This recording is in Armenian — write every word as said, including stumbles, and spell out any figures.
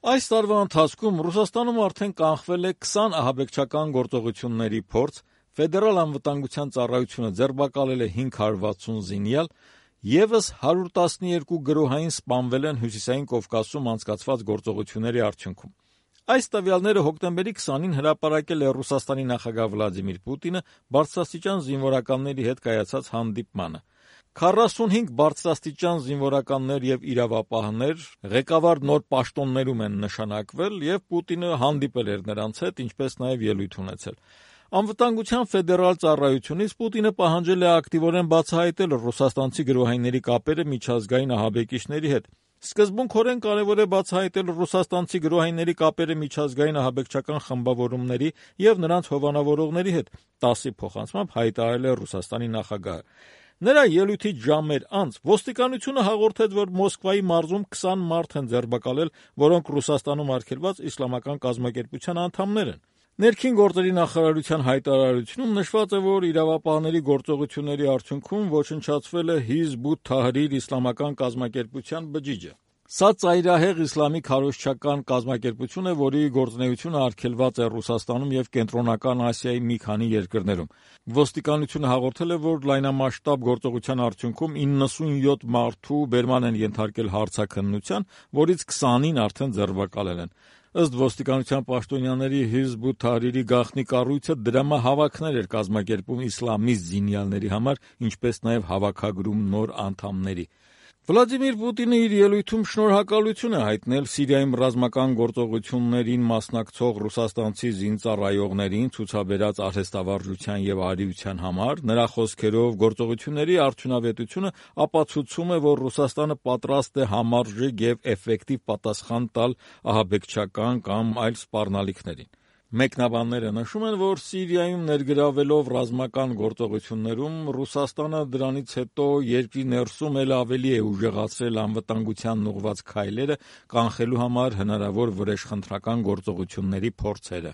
Այս տարվա ընթացքում Ռուսաստանում արդեն կանխվել է քսան ահաբեկչական գործողությունների փորձ, Ֆեդերալ անվտանգության ծառայությունը ձերբակալել է հինգ հարյուր վաթսուն զինյալ, ևս հարյուր տասնյոթ գրոհային սպանվել են Հյուսիսային Կովկասում անցկացված գործողությունների արդյունքում։ Այս տվյալները հոկտեմբերի քսանին հրապարակել է Ռուսաստանի նախագահ Վլադիմիր Պուտինը բարձրաստիճան զինվորականների հետ կայացած հանդիպմանը։ քառասունհինգ բարձրաստիճան զինվորականներ եւ իրավապահներ ղեկավար նոր պաշտոններում են նշանակվել եւ Պուտինը հանդիպել էր նրանց հետ, ինչպես նաեւ ելույթ ունեցել։ Անվտանգության ֆեդերալ ծառայությունից Պուտինը պահանջել է ակտիվորեն բացահայտել ռուսաստանցի գրոհայինների կապերը միջազգային ահաբեկիչների հետ։ Սկզբունքորեն կարևոր է բացահայտել ռուսաստանցի գրոհայինների կապերը միջազգային ահաբեկչական խմբավորումների եւ նրանց հովանավորողների հետ, տասի փոխանցմամբ հայտարարել է Ռուսաստանի նախագահը։ Նրա ելույթից ժամեր անց ոստիկանությունը հաղորդեց, որ Մոսկվայի մարզում քսան մարդ են ձերբակալել, որոնք Ռուսաստանում արգելված իսլամական կազմակերպության անդամներ են։ Ներքին գործերի նախարարության հայտարարությունում նշված է, որ իրավապահների գործողությունների արդյունքում ոչնչացվել է Հիզբ ut-Թահրիր իսլամական կազմակերպության բջիջը։ Սա ծայրահեղ իսլամի քարոզչական կազմակերպություն է, որի գործունեությունը արգելված է Ռուսաստանում եւ Կենտրոնական Ասիայի մի քանի երկրներում։ Ոստիկանությունը հաղորդել է, որ լայնամասշտաբ գործողության արդյունքում իննսունյոթ մարդու բերման են ենթարկել հարցաքննության, որից քսանին արդեն ձերբակալել են։ Ըստ ոստիկանության պաշտոնյաների Հիզբ ut-Թահրիրի գաղտնի կառույցը դրամահավաքներ էր կազմակերպում իսլամիստ զինյալների համար, ինչպես նաև հավաքագրում նոր անդամների։ Վլադիմիր Պուտինը իր ելույթում շնորհակալություն է հայտնել Սիրիայում ռազմական գործողություններին մասնակցող ռուսաստանցի զինծառայողներին ցուցաբերած արհեստավարժության եւ արիության համար։ Նրա խոսքերով գործողությունների արդյունավետությունը ապացուցում է, որ Ռուսաստանը պատրաստ է համարժեք եւ էֆեկտիվ պատասխան տալ ահաբեկչական կամ այլ սպառնալիքներին։ Մեկնաբանները նշում են, որ Սիրիայում ներգրավվելով ռազմական գործողություններում Ռուսաստանը դրանից հետո երկրի ներսում էլ ավելի է ուժեղացրել անվտանգությանն ուղղված քայլերը կանխելու համար հնարավոր վրեժխնդրական գործողությունների փորձերը։